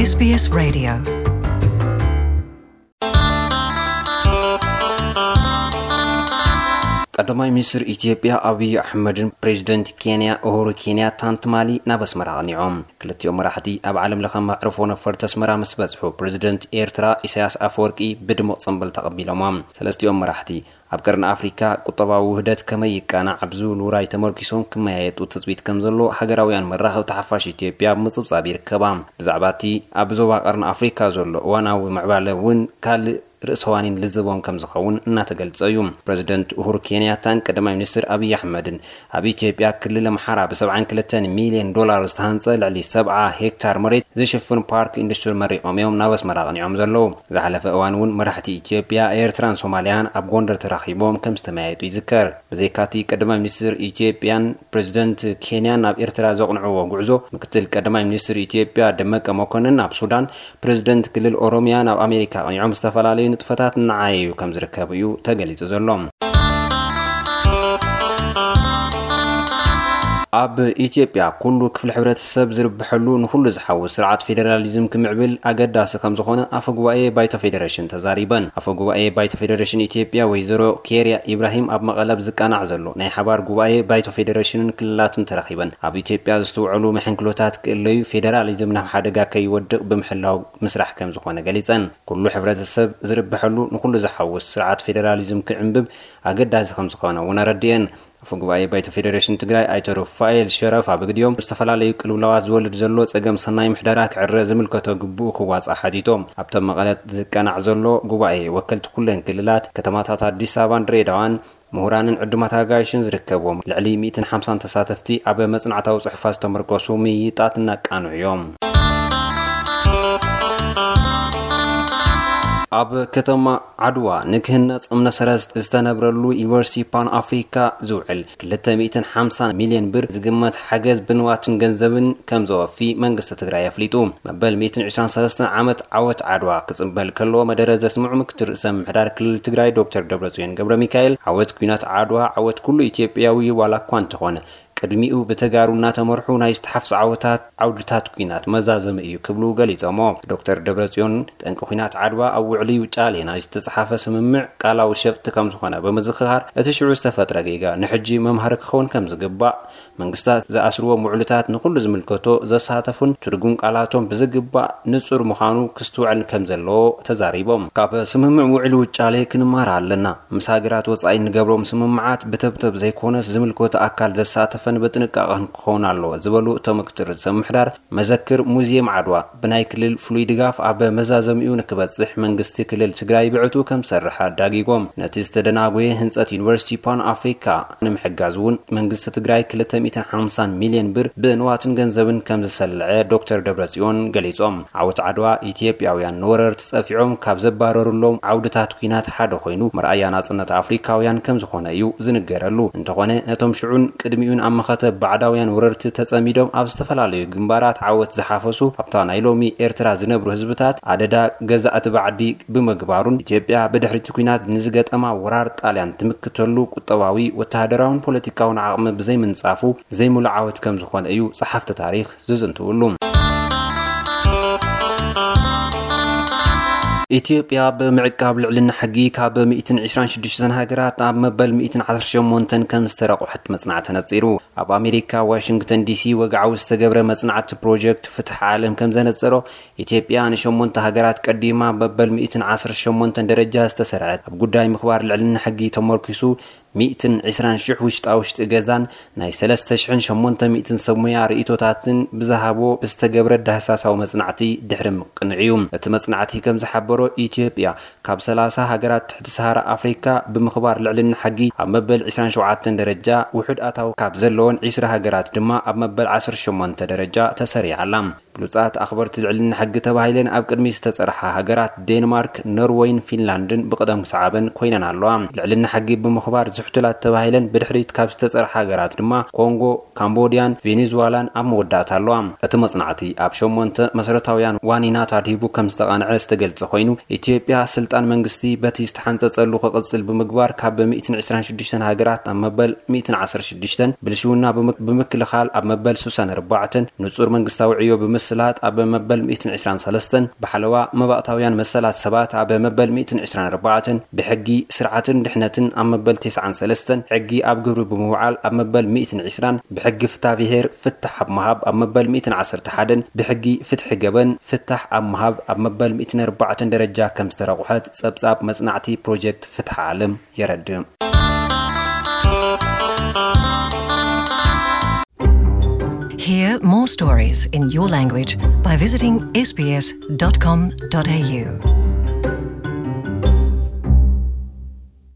S B S Radio. ቀዳማይ ሚኒስትር ኢትዮጵያ ኣብይ ኣሕመድን ፕሬዚደንት ኬንያ ኡሁሩ ኬንያታን ትማሊ ናብ ኣስመራ ኣቕኒዖም። ክልቲኦም መራሕቲ ኣብ ዓለም ለኸ መዕርፎ ነፈርቲ ኣስመራ ምስ በጽሑ፣ ፕሬዚደንት ኤርትራ ኢሳያስ ኣፈወርቂ ብድሙቕ ጽምብል ተቐቢሎሞም። ሰለስቲኦም መራሕቲ ኣብ ቀርኒ ኣፍሪካ ቁጠባዊ ውህደት ከመይ ይቃናዕ ኣብ ዝብል ውራይ ተመርኪሶም ክመያየጡ ትጽቢት ከም ዘሎ ሃገራውያን መራኸብቲ ሓፋሽ ኢትዮጵያ ኣብ ምጽብጻብ ይርከባ። ብዛዕባ እቲ ኣብ ዞባ ቀርኒ ኣፍሪካ ዘሎ እዋናዊ ምዕባለ እውን ካልእ ርእሰ ዋኒን ልዝቦም ከም ዝኸውን እናተገልጸ እዩ። ፕሬዚደንት ኡሁሩ ኬንያታን ቀዳማይ ሚኒስትር ኣብይ ኣሕመድን ኣብ ኢትዮጵያ ክልል ኣምሓራ ብ72 ሚልዮን ዶላር ዝተሃንጸ ልዕሊ ሰብዓ ሄክታር መሬት ዝሽፍን ፓርክ ኢንዱስትሪ መሪቖም እዮም ናብ ኣስመራ ኣቕኒዖም ዘለዉ። ዝሓለፈ እዋን እውን መራሕቲ ኢትዮጵያ፣ ኤርትራን ሶማልያን ኣብ ጎንደር ተራኺቦም ከም ዝተመያየጡ ይዝከር። ብዘይካቲ ቀዳማይ ሚኒስትር ኢትዮጵያን ፕሬዚደንት ኬንያን ናብ ኤርትራ ዘቕንዕዎ ጉዕዞ፣ ምክትል ቀዳማይ ሚኒስትር ኢትዮጵያ ደመቀ መኮንን ናብ ሱዳን፣ ፕሬዚደንት ክልል ኦሮሚያ ናብ ኣሜሪካ ኣቕኒዖም ዝተፈላለዩ ንጥፈታት እናዓየዩ ከም ዝርከቡ እዩ ተገሊጹ ዘሎ። ኣብ ኢትዮጵያ ኩሉ ክፍሊ ሕብረተሰብ ዝርብሐሉ ንኩሉ ዝሓውስ ስርዓት ፌዴራሊዝም ክምዕብል ኣገዳሲ ከም ዝኾነ ኣፈ ጉባኤ ባይቶ ፌዴሬሽን ተዛሪበን። ኣፈ ጉባኤ ባይቶ ፌዴሬሽን ኢትዮጵያ ወይዘሮ ኬርያ ኢብራሂም ኣብ መቐለ ኣብ ዝቃናዕ ዘሎ ናይ ሓባር ጉባኤ ባይቶ ፌዴሬሽንን ክልላትን ተረኺበን ኣብ ኢትዮጵያ ዝስተውዐሉ መሐንክሎታት ክእለዩ፣ ፌዴራሊዝም ናብ ሓደጋ ከይወድቕ ብምሕላው ምስራሕ ከም ዝኾነ ገሊጸን። ኩሉ ሕብረተሰብ ዝርብሐሉ ንኩሉ ዝሓውስ ስርዓት ፌዴራሊዝም ክዕንብብ ኣገዳሲ ከም ዝኾነ እውን ኣረድኤን። ኣፈ ጉባኤ ባይቶ ፌዴሬሽን ትግራይ ኣይተ ሩፋኤል ሸረፋ ብግዲኦም፣ ዝተፈላለዩ ቅልውላዋት ዝወልድ ዘሎ ጸገም ሰናይ ምሕደራ ክዕረ ዝምልከቶ ግቡእ ክዋጻእ ሓቲቶም። ኣብቶም መቐለ ዝቀናዕ ዘሎ ጉባኤ ወከልቲ ኩለን ክልላት፣ ከተማታት ኣዲስ ኣበባን ድሬዳዋን፣ ምሁራንን ዕዱማት ኣጋይሽን ዝርከብዎም ልዕሊ ሚእትን ሓምሳን ተሳተፍቲ ኣብ መጽናዕታዊ ጽሑፋት ዝተመርኮሱ ምይይጣት እናቃንዑ እዮም። ኣብ ከተማ ዓድዋ ንክህነጽ እምነ ሰረት ዝተነብረሉ ዩኒቨርሲቲ ፓን ኣፍሪካ ዝውዕል ክልተ ሚእትን ሓምሳን ሚልዮን ብር ዝግመት ሓገዝ ብንዋትን ገንዘብን ከም ዘወፊ መንግስቲ ትግራይ ኣፍሊጡ። መበል ሚእትን ዕስራን ሰለስተን ዓመት ዓወት ዓድዋ ክጽንበል ከሎ መደረ ዘስምዑ ምክትል ርእሰ ምምሕዳር ክልል ትግራይ ዶክተር ደብረጽዮን ገብረ ሚካኤል፣ ዓወት ኲናት ዓድዋ ዓወት ኩሉ ኢትዮጵያዊ ዋላ እኳ እንተኾነ፣ ቅድሚኡ ብተጋሩ እናተመርሑ ናይ ዝተሓፍሱ ዓወታት ዓውድታት ኲናት መዛዘሚ እዩ ክብሉ ገሊጾሞ። ዶክተር ደብረጽዮን፣ ጠንቂ ኲናት ዓድዋ ኣብ ውዕሊ ውጫሌ ናይ ዝተጸሓፈ ስምምዕ ቃላዊ ሸፍጢ ከም ዝኾነ ብምዝኽኻር፣ እቲ ሽዑ ዝተፈጥረ ጌጋ ንሕጂ መምሃሪ ክኸውን ከም ዝግባእ፣ መንግስታት ዝኣስርዎም ውዕልታት ንኹሉ ዝምልከቶ ዘሳተፉን ትርጉም ቃላቶም ብዝግባእ ንጹር ምዃኑ ክስትውዐል ከም ዘለዎ ተዛሪቦም። ካብ ስምምዕ ውዕሊ ውጫሌ ክንመሃር ኣለና። ምስ ሃገራት ወጻኢ እንገብሮም ስምምዓት ብተብተብ ዘይኮነስ ዝምልከቶ ኣካል ዘሳተፈን ብጥንቃቐን ክኸውን ኣለዎ ዝበሉ እቶም ምክትል ርእሰ ምምሕዳር፣ መዘክር ሙዚየም ዓድዋ ብናይ ክልል ፍሉይ ድጋፍ ኣብ መዛዘሚኡ ንክበጽሕ መንግስቲ ክልል ትግራይ ብዕቱ ከም ዝሰርሕ ኣዳጊጎም። ነቲ ዝተደናጎየ ህንጸት ዩኒቨርሲቲ ፓን ኣፍሪካ ንምሕጋዝ እውን መንግስቲ ትግራይ ክልተ ሚእትን ሓምሳን ሚልዮን ብር ብንዋትን ገንዘብን ከም ዝሰለዐ ዶክተር ደብረጽዮን ገሊጾም። ዓወት ዓድዋ ኢትዮጵያውያን ንወረርቲ ጸፊዖም ካብ ዘባረሩሎም ዓውድታት ኲናት ሓደ ኮይኑ፣ መርኣያ ናጽነት ኣፍሪካውያን ከም ዝኾነ እዩ ዝንገረሉ። እንተኾነ፣ ነቶም ሽዑን ቅድሚኡን ኣብ መኸተ ባዕዳውያን ወረርቲ ተጸሚዶም ኣብ ዝተፈላለዩ ግንባራት ዓወት ዝሓፈሱ፣ ኣብታ ናይ ሎሚ ኤርትራ ዝነብሩ ህዝብታት ኣደዳ ገዛእቲ ባዕዲ ብምግባሩን፣ ኢትዮጵያ ብድሕሪቲ ኲናት ንዝገጠማ ወራር ጣልያን ትምክተሉ ቁጠባዊ፣ ወተሃደራውን ፖለቲካውን ዓቕሚ ብዘይምንጻፉ ዘይምሉእ ዓወት ከም ዝኾነ እዩ ጸሓፍቲ ታሪኽ ዝዝንትውሉ። ኢትዮጵያ ብምዕቃብ ልዕልና ሕጊ ካብ ሚእትን ዕስራን ሽዱሽተን ሃገራት ኣብ መበል ሚእትን ዓሰርተ ሸሞንተን ከም ዝተረቑሐት መጽናዕቲ ነጺሩ። ኣብ ኣሜሪካ ዋሽንግተን ዲሲ ወግዓዊ ዝተገብረ መጽናዕቲ ፕሮጀክት ፍትሒ ዓለም ከም ዘነጸሮ፣ ኢትዮጵያ ንሸሞንተ ሃገራት ቀዲማ መበል ሚእትን ዓሰርተ ሸሞንተን ደረጃ ዝተሰርዐት፣ ኣብ ጉዳይ ምኽባር ልዕልና ሕጊ ተመርኪሱ ሚእትን ዕስራን ሽሕ ውሽጣ ውሽጢ ገዛን ናይ ሰለስተ ሽሕን ሸሞንተ ሚእትን ሰብ ሞያ ርእይቶታትን ብዝሃቦ ብዝተገብረ ዳህሳሳዊ መጽናዕቲ ድሕሪ ምቅንዕ እዩ። እቲ መጽናዕቲ ከም ዝሓበሮ፣ ኢትዮጵያ ካብ ሰላሳ ሃገራት ትሕቲ ሰሃራ ኣፍሪካ ብምኽባር ልዕልና ሕጊ ኣብ መበል ዕስራን ሸውዓተን ደረጃ፣ ውሑድ ኣታዊ ካብ ዘለወን ዕስራ ሃገራት ድማ ኣብ መበል ዓሰርተ ሸሞንተ ደረጃ ተሰሪዓ ኣላ። ብሉጻት ኣኽበርቲ ልዕልና ሕጊ ተባሂለን ኣብ ቅድሚት ዝተጸርሓ ሃገራት ዴንማርክ፣ ኖርወይን ፊንላንድን ብቕደም ሰዓበን ኮይነን ኣለዋ። ልዕልና ሕጊ ብምኽባር ዝሕቱላት ተባሂለን ብድሕሪት ካብ ዝተጸርሓ ሃገራት ድማ ኮንጎ፣ ካምቦድያን ቬኔዙዋላን ኣብ መወዳእታ ኣለዋ። እቲ መጽናዕቲ ኣብ ሸሞንተ መሰረታውያን ዋኒናት ኣድሂቡ ከም ዝተቓንዐ ዝተገልጸ ኮይኑ፣ ኢትዮጵያ ስልጣን መንግስቲ በቲ ዝተሓንጸጸሉ ክቕጽል ብምግባር ካብ ሚእትን ዕስራን ሽዱሽተን ሃገራት ኣብ መበል ሚእትን ዓሰርተ ሽዱሽተን፣ ብልሽውና ብምክ-፣ ብምክልኻል ኣብ መበል ስሳን ኣርባዕተን፣ ንጹር መንግስታዊ ዕዮ ብምስ ስላት ኣብ መበል ሚእትን ዕስራን ሰለስተን፣ ብሓለዋ መባእታውያን መሰላት ሰባት ኣብ መበል ሚእትን ዕስራን ኣርባዕተን፣ ብሕጊ ስርዓትን ድሕነትን ኣብ መበል ተስዓን ሰለስተን፣ ሕጊ ኣብ ግብሪ ብምውዓል ኣብ መበል ሚእትን ዕስራን፣ ብሕጊ ፍትሐ ብሔር ፍታሕ ኣብ ምሃብ ኣብ መበል ሚእትን ዓሰርተ ሓደን፣ ብሕጊ ፍትሒ ገበን ፍታሕ ኣብ ምሃብ ኣብ መበል ሚእትን ኣርባዕተን ደረጃ ከም ዝተረቑሐት ጸብጻብ መጽናዕቲ ፕሮጀክት ፍትሒ ዓለም የረድእ። Hear more stories in your language by visiting S B S dot com dot A U.